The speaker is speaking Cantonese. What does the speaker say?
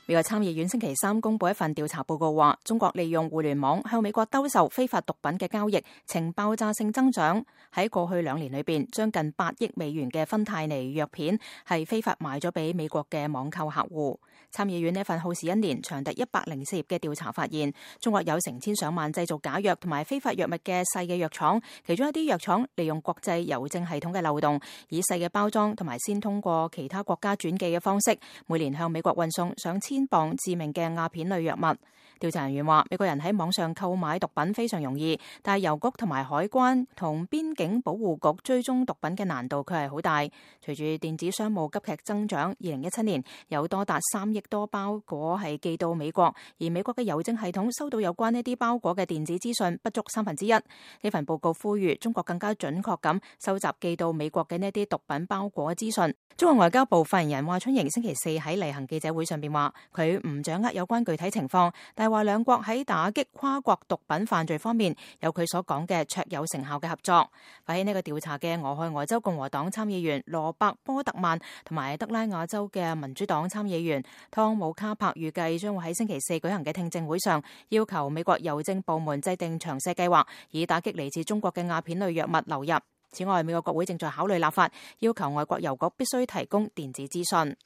美國參議院星期三公布一份調查報告話，中國利用互聯網向美國兜售非法毒品嘅交易呈爆炸性增長。喺過去2年裏邊，將近8億美元嘅芬太尼藥片係非法賣咗俾美國嘅網購客戶。參議院呢份耗時1年、長達104頁嘅調查發現，中國有成千上萬製造假藥同埋非法藥物嘅細嘅藥廠，其中一啲藥廠利用國際郵政系統嘅漏洞，以細嘅包裝同埋先通過其他國家轉寄嘅方式，每年向美國運送上千磅致命嘅鴉片類藥物。調查人員話，美國人喺網上購買毒品非常容易，但係郵局同埋海關同邊境保護局追蹤毒品嘅難度卻係好大。隨住電子商務急劇增長，2017年有多達3億多包裹係寄到美國，而美國嘅郵政系統收到有關呢啲包裹嘅電子資訊不足1/3。呢份報告呼籲中國更加準確咁收集寄到美國嘅呢啲毒品包裹嘅資訊。中國外交部發言人華春瑩星期四喺例行記者會上邊話，佢唔掌握有關具體情況，但係話兩國喺打擊跨國毒品犯罪方面有佢所講嘅卓有成效嘅合作。發起呢個調查嘅俄亥俄州共和黨參議員羅伯波特曼同埋德拉瓦州嘅民主黨參議員湯姆卡柏預計將會喺星期四舉行嘅聽證會上要求美國郵政部門制定詳細計劃，以打擊嚟自中國嘅鴉片類藥物流入。此外，美國國會正在考慮立法，要求外國郵局必須提供電子資訊。